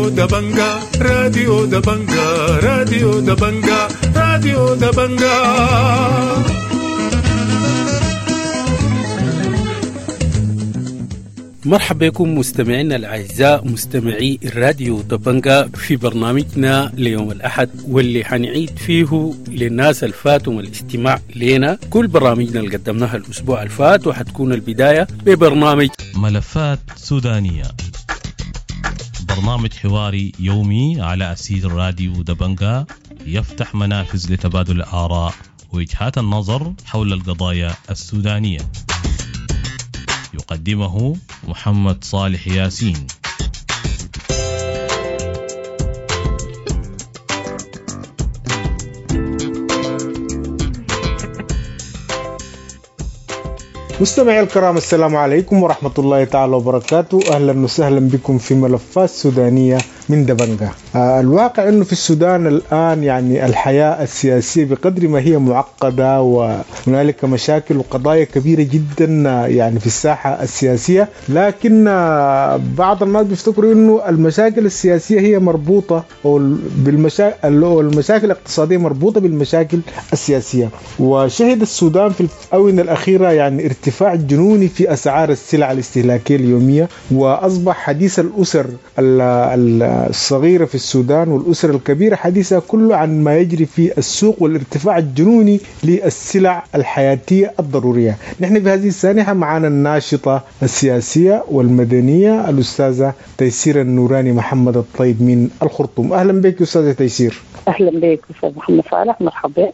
راديو دبنجا، راديو دبنجا، راديو دبنجا، راديو دبنجا. مرحبا بكم مستمعينا الأعزاء مستمعي الراديو دبنجا في برنامجنا ليوم الأحد، واللي حنعيد فيه للناس الفاتهم الاستماع لنا كل برامجنا اللي قدمناها الأسبوع الفات، وحتكون البداية ببرنامج ملفات سودانية، برنامج حواري يومي على أسير راديو دبنجا يفتح منافذ لتبادل الآراء ووجهات النظر حول القضايا السودانية. يقدمه محمد صالح ياسين. مستمعي الكرام، السلام عليكم ورحمة الله تعالى وبركاته. أهلا وسهلا بكم في ملفات سودانية من دبنجا. الواقع أنه في السودان الآن يعني الحياة السياسية بقدر ما هي معقدة وهنالك مشاكل وقضايا كبيرة جدا يعني في الساحة السياسية، لكن بعض الناس بيفتكروا أنه المشاكل السياسية هي مربوطة أو المشاكل الاقتصادية مربوطة بالمشاكل السياسية. وشهد السودان في الآونة الأخيرة يعني ارتفاع جنوني في أسعار السلع الاستهلاكية اليومية، وأصبح حديث الأسر الصغيرة في السودان والأسر الكبيرة حديثها كله عن ما يجري في السوق والارتفاع الجنوني للسلع الحياتية الضرورية. نحن في هذه السانحة معنا الناشطة السياسية والمدنية الأستاذة تيسير النوراني محمد الطيب من الخرطوم. أهلا بك أستاذة تيسير. أهلا بك أستاذ محمد صالح، مرحبا.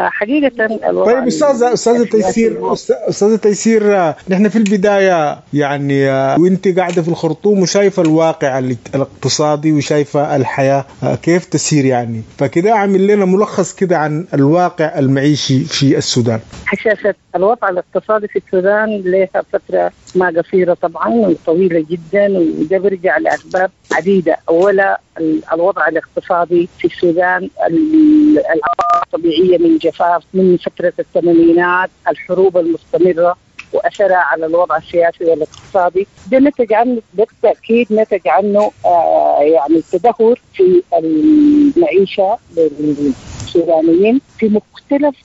حقيقة طيب أستاذة تيسير، أستاذة تيسير، نحن في البداية يعني وانت قاعدة في الخرطوم وشايفة الواقع الاقتصادي وشايفة الحياة كيف تسير، يعني فكده عامل لنا ملخص كده عن الواقع المعيشي في السودان. حشاشة الوضع الاقتصادي في السودان لها فترة ما قصيرة طبعا وطويلة جدا، وده برجع لأسباب عديدة. أولا الوضع الاقتصادي في السودان الطبيعية من جفاف من فترة الثمانينات، الحروب المستمرة وأثرها على الوضع السياسي والاقتصادي، ده نتج عنه بالتأكيد نتج عنه يعني التدهور في المعيشة للسودانيين في مختلف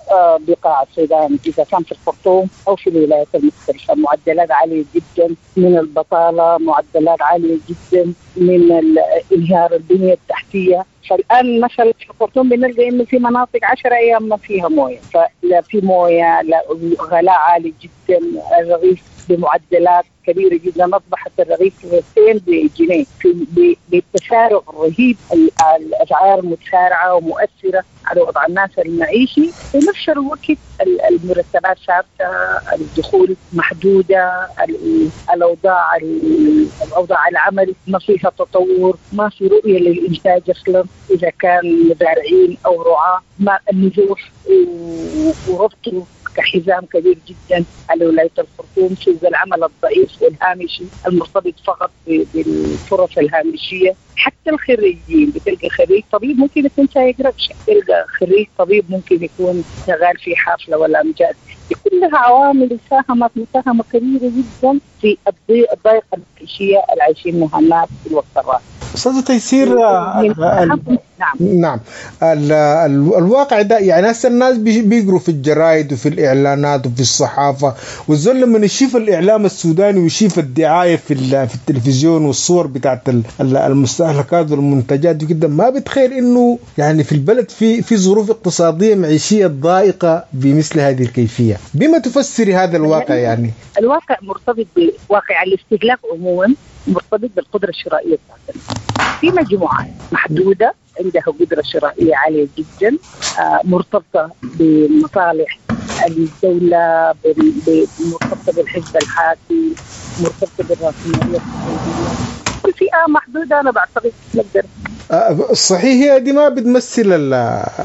بقاع السودان، إذا كان في الخرطوم أو في الولايات المختلفة. معدلات عالية جدا من البطالة، معدلات عالية جدا من انهيار البنية التحتية. فالآن مثلا في الخرطوم بنلقى إنه في مناطق 10 أيام ما فيها موية، فلا في موية، لا غلاء عالي جدا، الرغيف بمعدلات كبيرة جدا، أصبحت الرغيف 2 بجنيه، بالتسارع الرهيب، الأسعار متسارعة ومؤثرة على وضع الناس المعيشي. في نفس الوقت المرتبات ثابتة، الدخول محدودة، الأوضاع العمل ما فيها تطور، ما في رؤية للإنتاج أصلا إذا كان مزارعين أو رعاة، ما النزوح وربطه كحزام كبير جدا على ولاية الخرطوم، سوق العمل الضعيف والهامشي المرتبط فقط بالفرص الهامشية. حتى الخريجين بتلقى خريج طبيب ممكن يكون سايق ركشة، تلقى خريج طبيب ممكن يكون شغال في حافلة ولا أمجاد. كلها عوامل ساهمت مساهمة كبيرة جدا في الضيقة المعيشية اللي عايشينها الناس في الوقت الراهن. أستاذة تيسير، نعم الواقع ده يعني هسه الناس بيقروا في الجرايد وفي الإعلانات وفي الصحافة، والزول لما يشوف الإعلام السوداني ويشوف الدعاية في التلفزيون والصور بتاعت المستهلكات والمنتجات دي جدا، ما بتخيل إنه يعني في البلد في ظروف اقتصادية معيشية ضائقة بمثل هذه الكيفية. بما تفسري هذا الواقع؟ يعني الواقع مرتبط بواقع الاستهلاك عموما، مرتبط بالقدرة الشرائية بتاعتنا. في مجموعات محدودة عندها قدرة شرائية عالية جدا، مرتبطة بمصالح الدولة، مرتبطة بالحزب الحاكم، مرتبطة بالرأسمالية السعودية. فئة محدودة أنا بعتقد نقدر. صحيح هي دي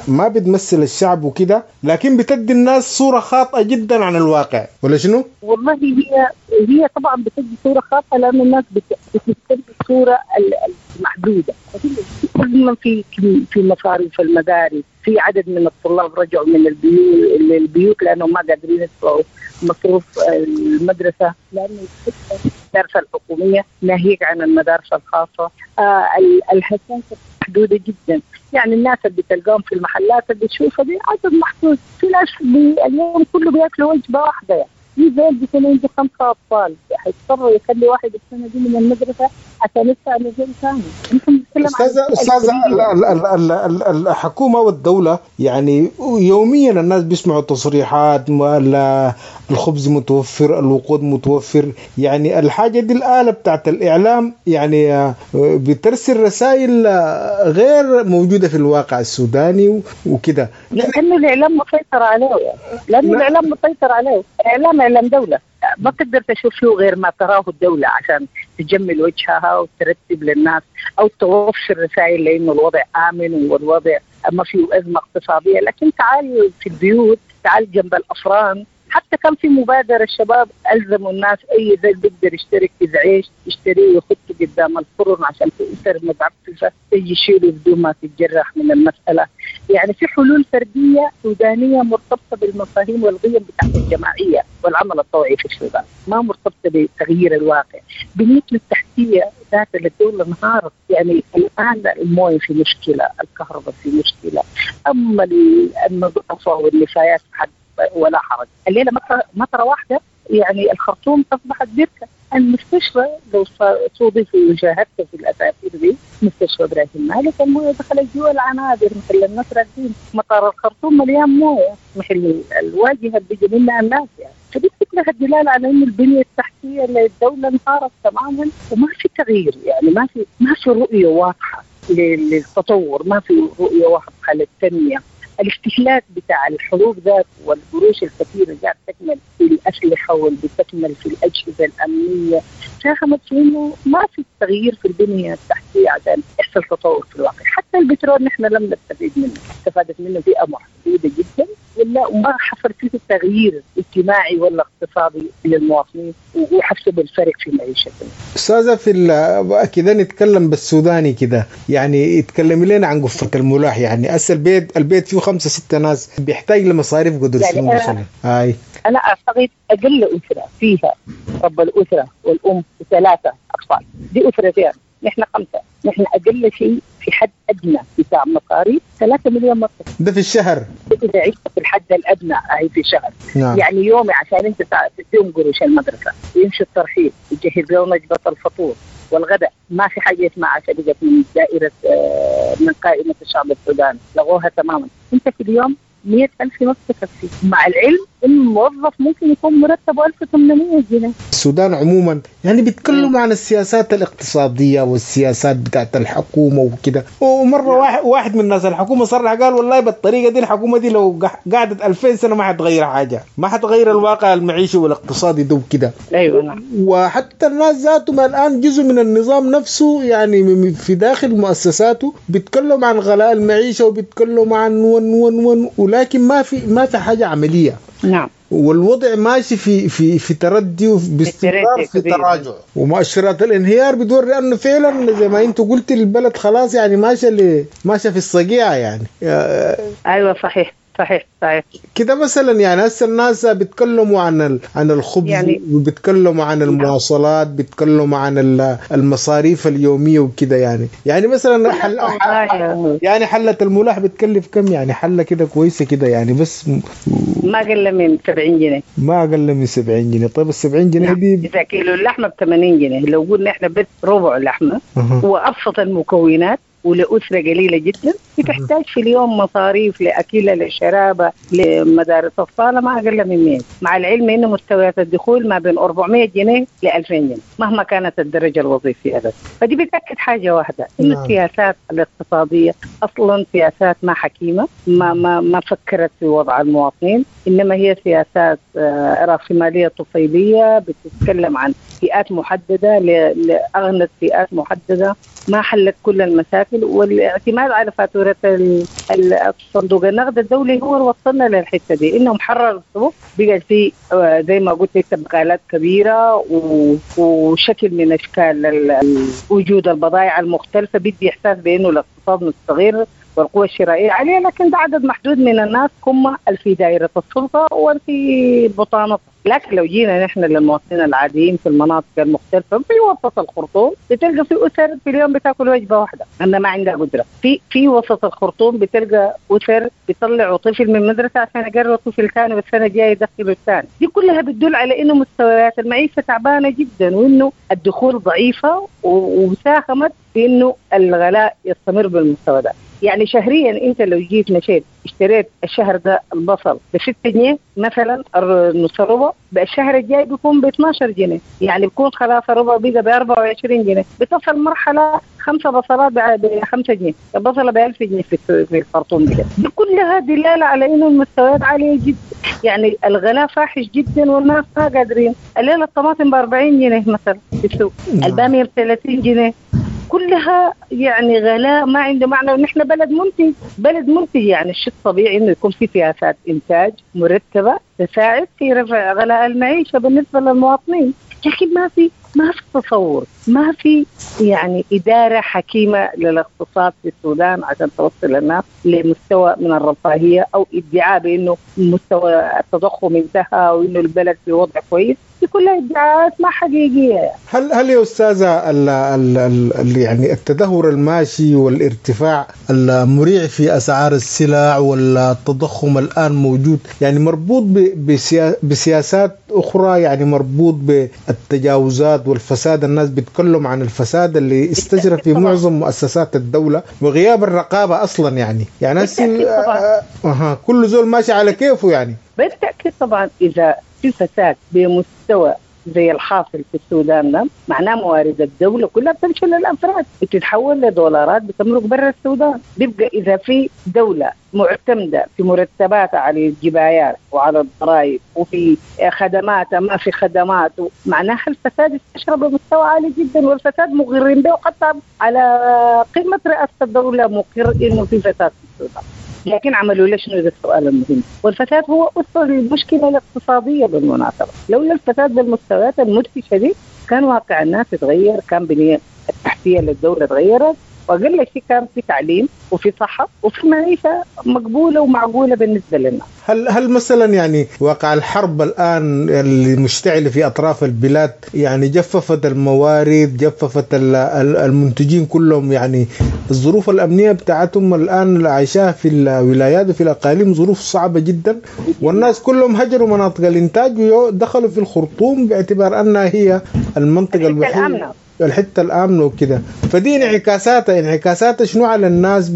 ما بتمثل الشعب وكده، لكن بتدي الناس صورة خاطئة جدا عن الواقع، ولا شنو؟ والله هي طبعا بتدي صورة خاطئة لأن الناس بتدي الصورة المحدودة. كل في مصاريف المدارس، في عدد من الطلاب رجعوا من البيوت لأنهم ما قادرين يدفعوا مصروف المدرسة، لأنه المدارس الحكومية ناهيك عن المدارس الخاصة. الهشاشة محدودة جدا، يعني الناس اللي بتلقاهم في المحلات اللي بتشوفها دي عدد محدود. في ناس اليوم كله بياكلوا وجبة واحدة، يعني في زول بيكون عنده 5 أطفال حيضطر يخلي واحد السنة دي من المدرسة عشان يدفع لزول ثاني. أستاذة الحكومة والدولة يعني يوميا الناس بيسمعوا تصريحات الخبز متوفر، الوقود متوفر، يعني الحاجة دي الآلة بتاعت الإعلام يعني بترسل رسائل غير موجودة في الواقع السوداني وكده. لأنه الإعلام مسيطر عليه، يعني لأنه الإعلام مسيطر عليه. الإعلام إعلام دولة، ما تقدر تشوف فيه غير ما تراه الدولة عشان تجمل وجهها وترتب للناس أو توفر رسائل لأنه الوضع آمن والوضع ما فيه أزمة اقتصادية. لكن تعال في البيوت، تعال جنب الأفران، حتى كان في مبادرة الشباب ألزموا الناس أي زي بيقدر يشترك إذا عيش يشتريه ويحطه قدام الفرن عشان في أسر متعففة يجي يشيله بدون ما تتجرح من المسألة. يعني في حلول فردية سودانية مرتبطة بالمفاهيم والقيم بتاعت الجماعية والعمل الطوعي في السودان، ما مرتبطة بتغيير الواقع. بنيتنا التحتية ذات الدولة انهارت، يعني الآن الموية في مشكلة، الكهرباء في مشكلة، أما النظافة والنفايات حد ولا حرج. الليلة مطرة واحدة يعني الخرطوم أصبحت بركة. المستشفى لو صودف وشاهدت في الأسافير دي مستشفى إبراهيم مالك الموية دخلت جوا العنابر مثل الناس راكبين. مطار الخرطوم مليان موية مثل الواجهة اللي بيجي منها الناس يعني. فدي كلها الدلالة على إنه البنية التحتية للدولة انهارت تماما وما في تغيير، يعني ما في رؤية واضحة للتطور، ما في رؤية واضحة للتنمية. الاستهلاك بتاع الحروب ذات والقروش الكثيرة اللي قاعد تكمل في الأسلحة واللي بتكمل في الأجهزة الأمنية ساهمت في إنه ما في تغيير في البنية التحتية عشان يحصل تطور في الواقع. حتى البترول نحن لم نستفيد منه، استفادت منه فئة محدودة جدا ولا وما حصل فيه تغيير اجتماعي ولا اقتصادي للمواطنين وحسوا بالفرق في معيشتهم. أستاذة في كده نتكلم بالسوداني كده، يعني يتكلم لنا عن قفة الملاح، يعني أصل البيت فيه 5 6 ناس بيحتاج لمصاريف قدر يعني شنو مثلا؟ هاي أنا أعتقد أقل أسرة فيها رب الأسرة والأم و3 أطفال، دي أسرتين، نحن 5، نحن أقل شيء في حد أدنى بتاع مصاريف 3 مليون مصري ده في الشهر. إذا عشت في الحد الأدنى هي في الشهر. نعم. يعني يومي عشان أنت تديهم قروش المدرسة، يمشي الترحيل، يجهز لهم وجبة الفطور والغداء، ما في حاجة اسمها عشان من دائرة من قائمة الشعب السوداني، لغوها تماما. أنت في اليوم 100,000 ما بتكفي، مع العلم إن الموظف ممكن يكون مرتبه 1800 جنيه. السودان عموما يعني بيتكلموا عن السياسات الاقتصادية والسياسات بتاعت الحكومة وكده، ومرة واحد من الناس الحكومة صرح قال والله بالطريقة دي الحكومة دي لو قعدت 2000 سنة ما حتغير حاجة، ما حتغير الواقع المعيشي والاقتصادي ده وكده. أيوة نعم. وحتى الناس ذاتهم الآن جزء من النظام نفسه يعني في داخل مؤسساته بيتكلموا عن غلاء المعيشة وبيتكلموا عن ون ون ون، ولكن ما في حاجة عملية. نعم. والوضع ماشي في في في تردي وباستمرار في تراجع، ومؤشرات الانهيار بتوري انه فعلا زي ما انت قلت البلد خلاص يعني ماشيه في الصقيعه يعني. ايوه صحيح صحيح صحيح كده. مثلا يعني هسه الناس بيتكلموا عن الخبز يعني، وبيتكلموا عن المواصلات، بيتكلموا عن المصاريف اليوميه وكده يعني مثلا يعني حله الملاح بتكلف كم؟ يعني حله كده كويسه كده يعني بس ما اقل من 70 جنيه. ما اقل من 70 جنيه. طيب ال 70 جنيه دي اذا كيلو اللحمه ب 80 جنيه، لو قلنا احنا بس ربع لحمه وابسط المكونات ولأسرة قليلة جدا بتحتاج في اليوم مصاريف لأكلة لشرابة لمدارس أطفال ما أقل من 100، مع العلم أنه مستويات الدخول ما بين 400 جنيه ل 2000 جنيه مهما كانت الدرجة الوظيفية بس. فدي بتأكد حاجة واحدة، إنه السياسات الاقتصادية أصلا سياسات ما حكيمة، ما ما ما فكرت في وضع المواطنين، إنما هي سياسات رأسمالية طفيلية بتتكلم عن فئات محددة لأغنى فئات محددة، ما حلت كل المشاكل. والاعتماد على فاتورة الصندوق النقد الدولي هو اللي وصلنا للحتة دي، إنهم حرروا السوق، بقى في زي ما قلت لك بقالات كبيرة وشكل من أشكال وجود البضائع المختلفة، بدي إحساس بأنه الاقتصاد مستغر والقوة الشرائية عالية، لكن ده عدد محدود من الناس هم في دائرة السلطة وفي بطانتها. لكن لو جينا نحن للمواطنين العاديين في المناطق المختلفة في وسط الخرطوم بتلقى في أسر في اليوم بتاكل وجبة واحدة لأنها ما عندها قدرة. في وسط الخرطوم بتلقى أسر بيطلعوا طفل من مدرسة عشان يقروا طفل ثاني والسنة الجاية يدخلوا الثاني. دي كلها بتدل على إنه مستويات المعيشة تعبانة جدا وإنه الدخول ضعيفة وساهمت في إنه الغلاء يستمر بالمستوى ده. يعني شهريا انت لو جيت مشيت اشتريت الشهر ده البصل ب6 جنيه مثلا، نص ربع، الشهر الجاي بيكون ب 12 جنيه، يعني بيكون خلاص الربع بقى ب 24 جنيه. بتصل مرحلة 5 بصلات ب 5 جنيه، البصله ب 1000 جنيه في الخرطوم. دي كلها دلالة على انه المستويات عالية جدا، يعني الغلاء فاحش جدا والناس ما قادرين. الليلة الطماطم ب 40 جنيه مثلا في السوق، الباميه ب 30 جنيه، كلها يعني غلاء ما عنده معنى. ونحن بلد منتج، بلد منتج، يعني الشيء الطبيعي انه يكون في سياسات انتاج مرتبه تساعد في رفع غلاء المعيشة بالنسبة للمواطنين، لكن ما في تصور، ما في يعني إدارة حكيمة للاقتصاد في السودان عشان توصل الناس لمستوى من الرفاهية أو ادعاء بأنه مستوى التضخم انتهى وأنه البلد في وضع كويس. دي كلها ادعاءات ما حقيقية. هل يا أستاذة يعني التدهور الماشي والارتفاع المريع في أسعار السلع والتضخم الآن موجود يعني مربوط بسياسات أخرى، يعني مربوط بالتجاوزات والفساد؟ الناس بيتكلم عن الفساد اللي استجرى في معظم مؤسسات الدولة وغياب الرقابة أصلا، يعني كل زول ماشي على كيفه يعني. بالتأكيد طبعا إذا في فساد بمستوى زي الحاصل في السودان ده، معناه موارد الدولة كلها بتمشي للأفراد، بتتحول لدولارات بتمرق برا السودان. بيبقى إذا في دولة معتمدة في مرتباتها على الجبايات وعلى الضرائب وفي خدماتها ما في خدمات، معناها الفساد استشرب بمستوى عالي جدا، والفساد مغرين به، وحتى على قمة رئاسة الدولة مقر إنه في فساد في السودان. لكن عملوا ليش؟ شنو السؤال المهم. والفساد هو أصل المشكلة الاقتصادية بالمناسبة. لولا الفساد بالمستويات المدهشة دي كان واقع الناس تغير، كان بنية التحتية للدولة تغيرت، وأقل شيء كان في تعليم وفي صحة وفي معيشة مقبولة ومعقولة بالنسبة لنا. هل مثلا يعني واقع الحرب الآن اللي مشتعلة في أطراف البلاد يعني جففت الموارد، جففت المنتجين كلهم، يعني الظروف الأمنية بتاعتهم الآن اللي عايشاها في الولايات وفي الأقاليم ظروف صعبة جدا، والناس كلهم هجروا مناطق الإنتاج ودخلوا في الخرطوم باعتبار أنها هي المنطقة الوحيدة، الحتة الامنة وكده. فدي انعكاساتها شنو على الناس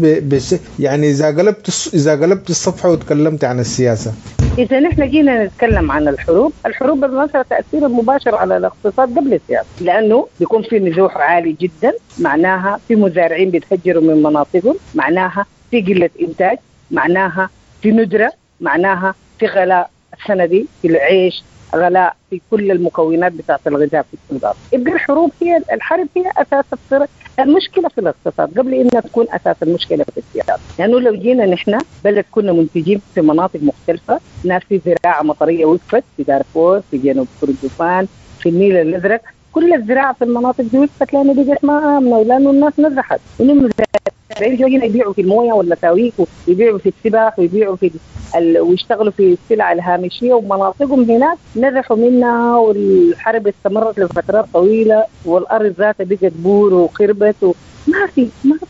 يعني اذا قلبت الصفحة وتكلمت عن السياسة؟ اذا نحن جينا نتكلم عن الحروب، الحروب بالمناسبة تاثير مباشر على الاقتصاد قبل السياسة، لانه بيكون في نزوح عالي جدا، معناها في مزارعين بيتهجروا من مناطقهم، معناها في قلة انتاج، معناها في ندره، معناها في غلاء السنة دي في العيش، غلاء في كل المكونات بتاعت الغذاء في السودان. يبقى الحروب هي الحرب هي اساس المشكلة في الاقتصاد قبل انها تكون اساس المشكلة في السياسة. لانه لو جينا نحن بلد كنا منتجين في مناطق مختلفة، ناس في زراعة مطريه وقفت في دارفور، في جنوب كردفان، في النيل الازرق، كل الزراعة في المناطق دي وقفت لانه بقت ما امنه ولانه الناس نزحت، وانه المزارعين جايين يبيعوا في المويه والمساويك ويبيعوا في السباح ويبيعوا في ويشتغلوا في السلع الهامشية، ومناطقهم هناك نزحوا منها، والحرب استمرت لفترات طويلة، والأرض ذاتها بقت بور وخربت، ما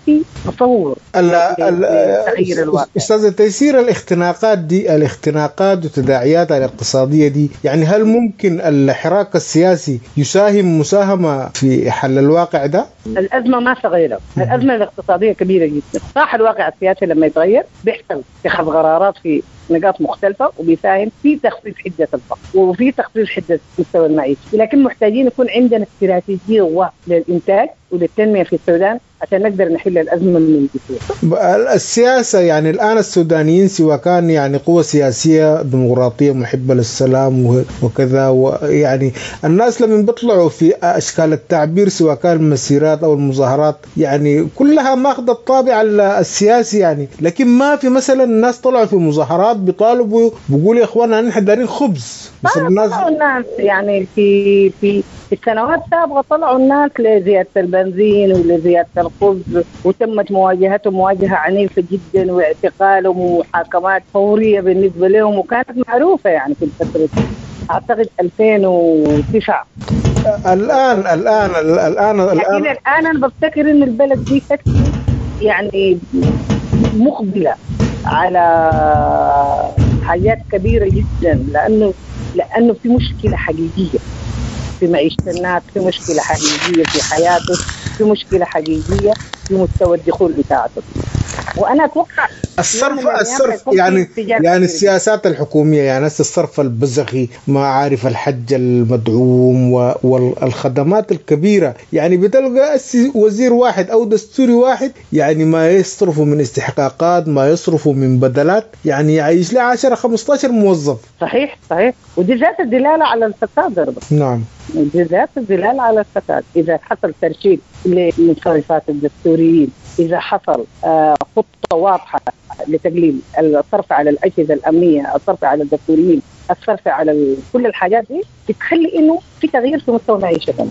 في تصور تغيير الواقع. أستاذة تيسير، الاختناقات دي، الاختناقات وتداعياتها الاقتصادية دي، يعني هل ممكن الحراك السياسي يساهم مساهمة في حل الواقع ده؟ الأزمة ما صغيرة، الأزمة الاقتصادية كبيرة جدا. صح الواقع السياسي لما يتغير بيحصل اتخاذ قرارات في نقاط مختلفة وبيساهم في تخفيف حدة الفقر وفي تخفيف حدة مستوى المعيشة، لكن محتاجين يكون عندنا استراتيجية للإنتاج وللتنمية في السودان عشان نقدر نحل الأزمة من الجذور. السياسة يعني الآن السودانيين سواء كان يعني قوة سياسية ديمقراطية محبة للسلام وكذا، ويعني الناس لما بيطلعوا في أشكال التعبير سواء كان المسيرات أو المظاهرات يعني كلها ماخذة الطابع السياسي يعني، لكن ما في مثلا الناس طلعوا في مظاهرات بيطالبوا بيقولوا يا إخوانا نحن دارين خبز. بس الناس يعني في السنوات السابقة طلعوا الناس لزيادة البنزين ولزيادة الخبز، وتمت مواجهتهم مواجهة عنيفة جدا واعتقالهم ومحاكمات فورية بالنسبة لهم، وكانت معروفة يعني في الفترة دي. أعتقد 2009. الآن الآن الآن الآن الآن أنا بفتكر إن البلد دي يعني مقبلة على حاجات كبيرة جدا، لأنه في مشكلة حقيقية في معيشة الناس، في مشكلة حقيقية في حياته، في مشكلة حقيقية في مستوى الدخول بتاعته. وأنا أتوقع الصرف يعني السياسات الحكومية، يعني الصرف البزخي، ما عارف الحج المدعوم والخدمات الكبيرة، يعني بتلقى وزير واحد أو دستوري واحد يعني ما يصرفوا من استحقاقات، ما يصرفوا من بدلات، يعني يعيش له 10-15 موظف. صحيح صحيح، ودي ذات الدلالة على الفساد برضه. نعم، دي ذات الدلالة على الفساد. إذا حصل ترشيد للمصرفات الدستوريين، إذا حصل خطة واضحة لتقليل الصرف على الأجهزة الأمنية، الصرف على الدستوريين، الصرف على كل الحاجات دي، بتخلي إنه في تغيير في مستوى معيشتنا.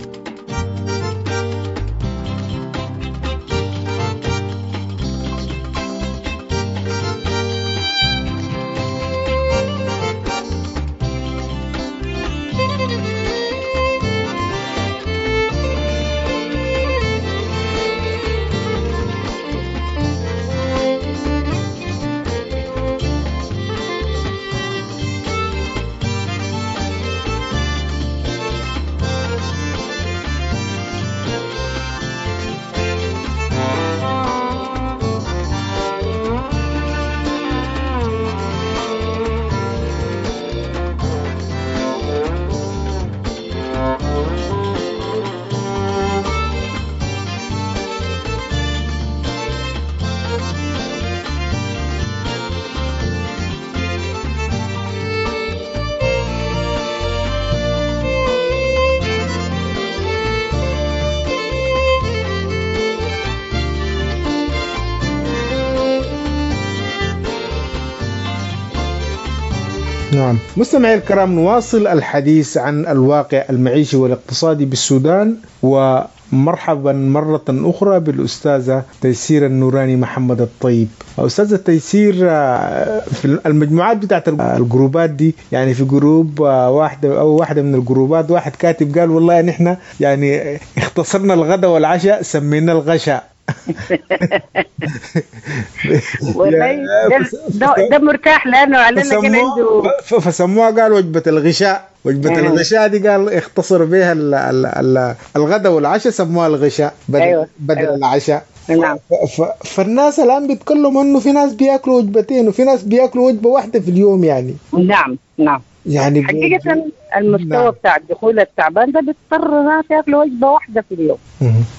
نعم. مستمعي الكرام، نواصل الحديث عن الواقع المعيشي والاقتصادي بالسودان، ومرحبا مرة أخرى بالأستاذة تيسير النوراني محمد الطيب. أستاذة تيسير، في المجموعات بتاعت الجروبات دي، يعني في جروب واحدة أو واحدة من الجروبات واحد كاتب قال والله نحن يعني اختصرنا الغداء والعشاء سمينا الغشاء. والله ده مرتاح لانه على كان عنده، فسموها قال وجبه الغشاء. وجبه الغشاء دي قال اختصر بها الغداء والعشاء، سموها الغشاء بدل, أيوة. بدل أيوة. العشاء. نعم. فالناس الان بيتكلموا انه في ناس بياكلوا وجبتين وفي ناس بياكلوا وجبه واحده في اليوم يعني. نعم نعم، يعني حقيقة المستوى نعم. بتاع الدخول التعبان ده بيضطر ناس ياكلوا وجبة واحدة في اليوم.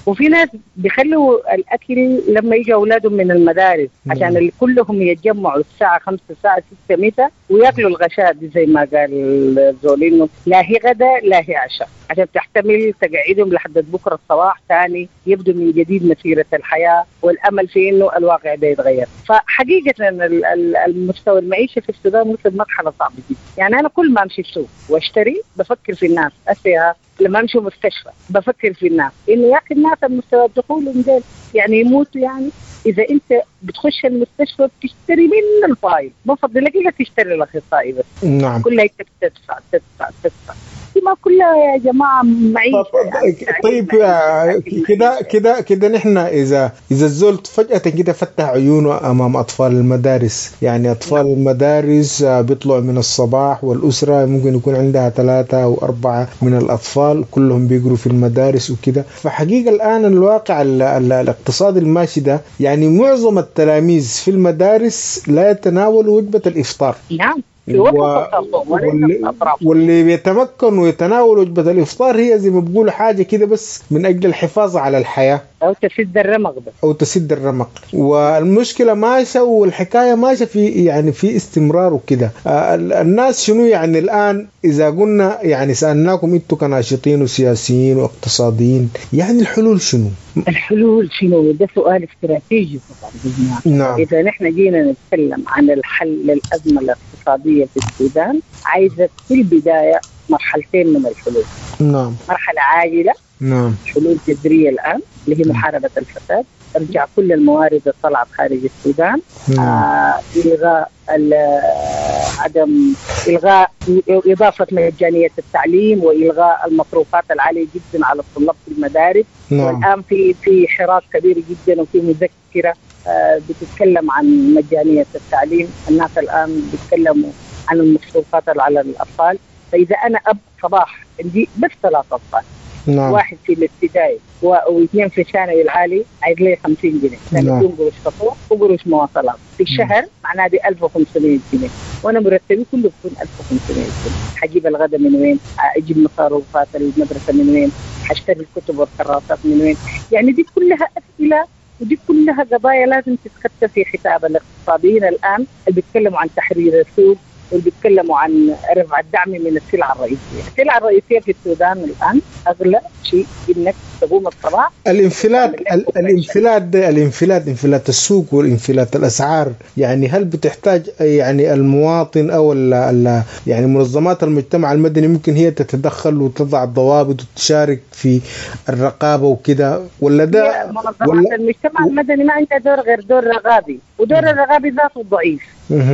وفي ناس بيخلوا الأكل لما يجوا أولادهم من المدارس عشان كلهم يتجمعوا الساعة 5 الساعة 6 مساء وياكلوا الغشاء دي زي ما قال زولينو، لا هي غدا لا هي عشاء، عشان تحتمل تقعدهم لحد بكرة الصباح ثاني يبدو من جديد مسيرة الحياة والأمل في إنه الواقع ده يتغير. فحقيقة المستوى المعيشة في السودان وصل مرحلة صعبة جدا. يعني أنا كل ما أمشي السوق واشتري بفكر في الناس، أسيها لما أمشي مستشفى بفكر في الناس إنه يا أخي الناس المستوى الدخول ديل يعني يموتوا. يعني إذا أنت بتخش المستشفى بتشتري من الفايل، بفضل لك إلا تشتري الأخصائي بس. نعم. كلها تدفع تدفع تدفع، ما كلها يا جماعة معيشة. طيب كده كده كده نحن إذا الزول فجأة كده فتح عيونه أمام أطفال المدارس، يعني أطفال المدارس بيطلعوا من الصباح، والأسرة ممكن يكون عندها 3 أو 4 من الأطفال كلهم بيقروا في المدارس وكده. فحقيقة الآن الواقع الاقتصادي الماشي ده، يعني معظم التلاميذ في المدارس لا يتناولوا وجبة الإفطار. نعم. واللي بيتمكن ويتناول وجبة الإفطار هي زي ما بيقولوا حاجة كده بس من أجل الحفاظ على الحياة أو تسد الرمق بس. أو تسد الرمق. والمشكلة ماشية والحكاية ماشية في يعني في استمرار وكده. الناس شنو يعني الآن إذا قلنا يعني سألناكم أنتم كناشطين وسياسيين واقتصاديين، يعني الحلول شنو؟ الحلول شنو؟ ده سؤال استراتيجي طبعا. نعم. إذا نحن جينا نتكلم عن الحل للأزمة الاقتصادية في السودان، عايزة في البداية مرحلتين من الحلول. نعم. مرحلة عاجلة نعم. حلول جذرية الآن اللي هي محاربة الفساد، ارجع كل الموارد اللي طلعت خارج السودان، إلغاء عدم إلغاء إضافة مجانية التعليم وإلغاء المصروفات العالية جدا على الطلاب في المدارس. نعم. والآن في حراك كبير جدا وفي مذكرة بتتكلم عن مجانية التعليم. الناس الآن بيتكلموا عن المصروفات على الأطفال. فإذا أنا أب صباح عندي بس 3 أطفال، نعم. واحد في الابتدائي واثنين في الثانوي العالي، عايز لي 50 جنيه، نعم. قروش فطور وقروش مواصلات في الشهر، معناها دي 1500 جنيه، وانا مرتبي كله بيكون 1500 جنيه. حجيب الغداء من وين؟ اجيب مصروفات المدرسة من وين؟ حاشتري الكتب والكراسات من وين؟ يعني دي كلها اسئلة ودي كلها قضايا لازم تتخطى في حساب الاقتصاديين الان اللي بيتكلموا عن تحرير السوق واللي بيتكلموا عن رفع الدعم من السلع الرئيسية. السلع الرئيسية في السودان الآن أغلى شيء إنك تقوم الصباح. الانفلات ده، انفلات السوق والانفلات الأسعار، يعني هل بتحتاج يعني المواطن أو يعني منظمات المجتمع المدني ممكن هي تتدخل وتضع الضوابط وتشارك في الرقابة وكده، ولا ده منظمات المجتمع المدني ما عندها دور غير دور رقابي، ودور الرقابي ذاته ضعيف.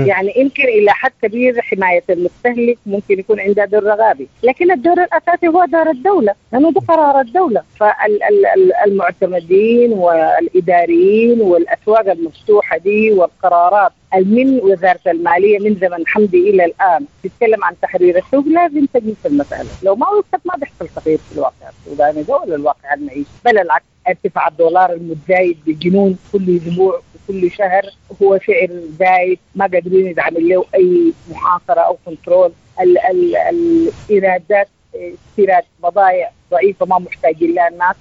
يعني يمكن إلى حد كبير حماية المستهلك ممكن يكون عندها دور رقابي، لكن الدور الأساسي هو دور الدولة، لأنه ده قرار الدولة. فالمعتمدين والإداريين والأسواق المفتوحة دي والقرارات من وزارة المالية من زمن حمدي إلى الآن تتكلم عن تحرير السوق، لازم تجي في المسألة. لو ما وقفت ما بيحصل تغيير في الواقع السوداني ده ولا الواقع المعيشي، بل العكس. ارتفاع الدولار المتزايد بجنون كل أسبوع وكل شهر هو سعر زايد، ما قادرين يتعمل له أي محاصرة أو control. الإيرادات استيراد بضائع ضعيفة ما محتاجين لها الناس،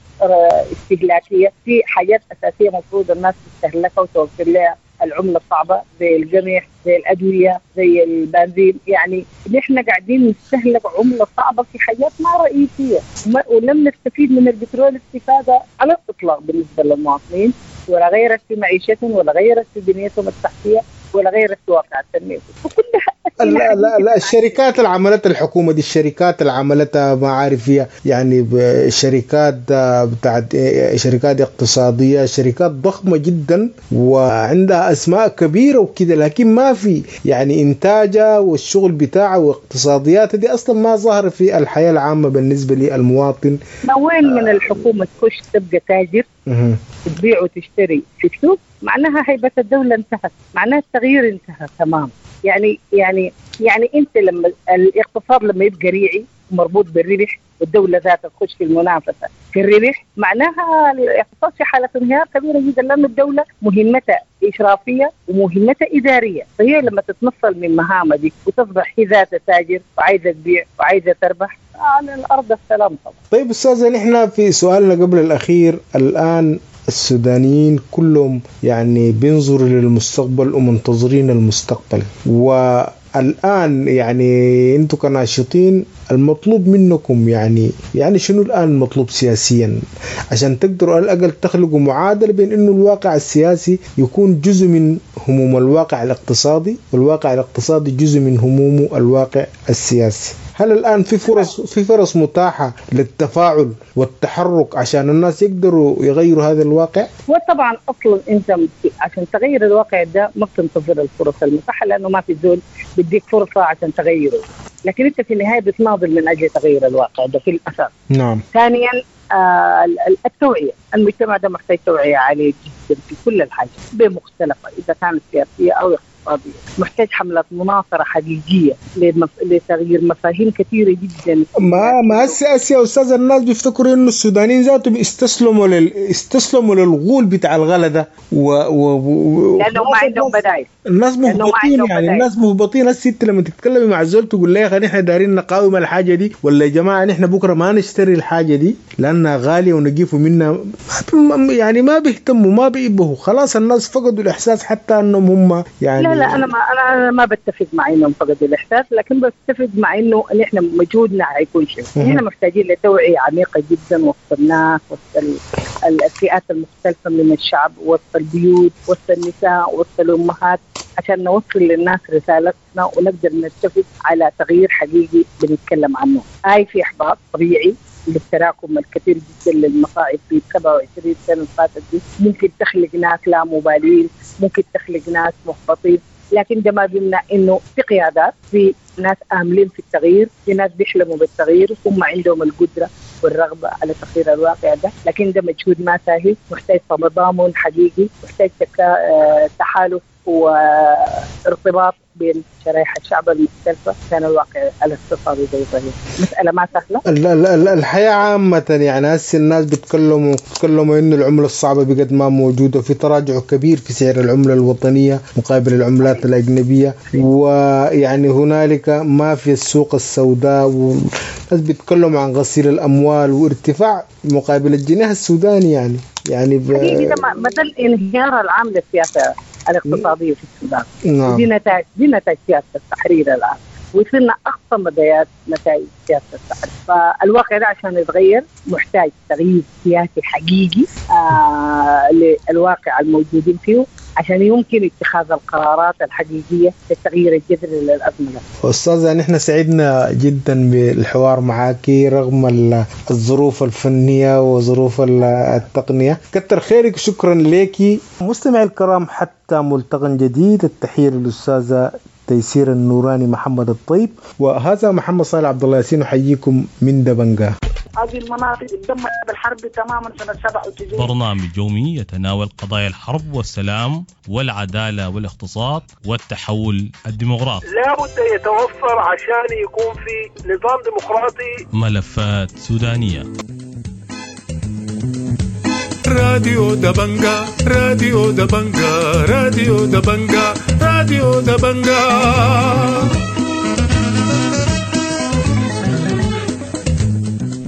استهلاكية في حاجات أساسية مفروض الناس تستهلكها وتوفر لها العملة الصعبة زي القمح زي الأدوية زي البنزين. يعني نحن قاعدين نستهلك عملة صعبة في حاجات ما رئيسية، ولم نستفيد من البترول استفادة على الإطلاق بالنسبة للمواطنين، ولا غيرت في معيشتهم ولا غيرت في بنيتهم التحتية ولا غيرت في واقع التنمية. وكلها لا لا لا، الشركات اللي عملتها الحكومة دي، الشركات اللي عملتها ما عارف فيها، يعني شركات بتاعت شركات اقتصادية، شركات ضخمة جدا وعندها أسماء كبيرة وكده، لكن ما في يعني إنتاجها والشغل بتاعها واقتصادياتها دي أصلا ما ظهر في الحياة العامة بالنسبة للمواطن. ما وين من الحكومة تخش تبقى تاجر تبيع وتشتري في السوق، معناها هيبة الدولة انتهت، معناها التغيير انتهى تمام. يعني يعني يعني انت لما الاقتصاد لما يبقى ريعي مربوط بالربح والدولة ذاتها تخش في المنافسة في الربح، معناها الاقتصاد في حالة انهيار كبيرة جدا، لأن الدولة مهمتها إشرافية ومهمتها إدارية. فهي لما تتنصل من مهامها دي وتصبح هي ذاتها تاجر وعايزة تبيع وعايزة تربح، على الأرض السلام طبعا. طيب أستاذة، نحن في سؤالنا قبل الأخير، الآن السودانيين كلهم يعني بينظروا للمستقبل ومنتظرين المستقبل، والآن يعني أنتم كناشطين المطلوب منكم يعني شنو الآن المطلوب سياسيا عشان تقدروا على الأقل تخلقوا معادلة بين إنه الواقع السياسي يكون جزء من هموم الواقع الاقتصادي، والواقع الاقتصادي جزء من همومه الواقع السياسي؟ هل الآن في فرص متاحة للتفاعل والتحرك عشان الناس يقدروا يغيروا هذا الواقع؟ وطبعا أصلا أنت عشان تغير الواقع ده ما بتنتظر الفرص المتاحة، لأنه ما في زول بديك فرصة عشان تغيره، لكن أنت في النهاية بتناضل من أجل تغيير الواقع ده في الأساس. نعم. ثانيا التوعية، المجتمع ده محتاج توعية عالية جدا في كل الحاجات بمختلفة، إذا كانت سياسية أو اقتصادية، محتاج حملة مناصرة حقيقية لتغيير مفاهيم كثيرة جدا. ما هسه يا أستاذ، الناس بيفتكروا إنه السودانيين ذاتهم استسلموا للغول بتاع الغلا ده، لأنه ما عندهم بدائل. الناس مهبطين، يعني الناس مهبطين. الست لما تتكلمي مع الزول تقول لها يا اخي نحن دارين نقاوم الحاجة دي، ولا يا جماعة نحن بكرة ما نشتري الحاجة دي لأنها غالية ونجيفوا منها، يعني ما بيهتموا ما بيبهوا، خلاص الناس فقدوا الإحساس حتى أنهم هم يعني. لا لا، أنا ما بتفق مع إنهم فقدوا الإحساس، لكن بتفق مع إنه نحن مجهودنا حيكون شيء. نحن محتاجين لتوعية عميقة جدا وسط الناس، وسط الفئات المختلفة من الشعب، وسط البيوت، وسط النساء، وسط الأمهات، عشان نوصل للناس رسالتنا ونقدر نتفق على تغيير حقيقي بنتكلم عنه. هاي في إحباط طبيعي للتراكم الكثير جدا للمصاعب في 27 سنة فاتت دي، ممكن تخلق ناس لا مبالين، ممكن تخلق ناس محبطين، لكن ده ما بيمنع انه في قيادات، في ناس آملين في التغيير، في ناس بيحلموا بالتغيير، هم عندهم القدرة والرغبة على تغيير الواقع ده، لكن ده مجهود ما سهل، محتاج تضامن حقيقي، محتاج تحالف وارتباط بين شرائح الشعب المختلفة كان الواقع الاقتصادي زي طيب. مسألة ما سهلة. الحياة عامة يعني هسه الناس بيتكلموا إنه العملة الصعبة بقد ما موجودة، في تراجع كبير في سعر العملة الوطنية مقابل العملات الأجنبية، ويعني هنالك ما في السوق السوداء، والناس بيتكلموا عن غسيل الأموال وارتفاع مقابل الجنيه السوداني. يعني مثل انهيار العام للسياسة الاقتصادية في السودان. نعم. دي نتائج سياسة التحرير الآن، وصلنا أقصى مديات نتائج سياسة التحرير. فالواقع ده عشان يتغير محتاج تغيير سياسي حقيقي للواقع الموجودين فيه، عشان يمكن اتخاذ القرارات الحقيقية للتغيير الجذري للأزمة. أستاذة، نحن سعدنا جدا بالحوار معك رغم الظروف الفنية وظروف التقنية. كتر خيرك، شكرا لك. مستمعي الكرام، حتى ملتقى جديد، التحية للأستاذة تيسير النوراني محمد الطيب، وهذا محمد صالح عبد الله ياسين، أحييكم من دبنجة. هذه المناطق اتدمرت بالحرب تماما سنة 97. برنامج يومي يتناول قضايا الحرب والسلام والعدالة والاقتصاد والتحول الديمقراطي. لا بد يتوفر عشان يكون في نظام ديمقراطي. ملفات سودانية. راديو دبنجا، راديو دبنجا، راديو دبنجا، راديو دبنجا.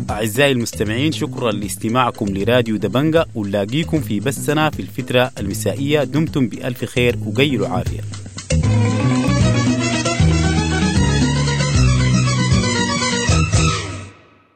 أعزائي المستمعين، شكرا لاستماعكم لراديو دبنجا، ونلاقيكم في بثنا في الفترة المسائية. دمتم بألف خير وقيلوا عافية.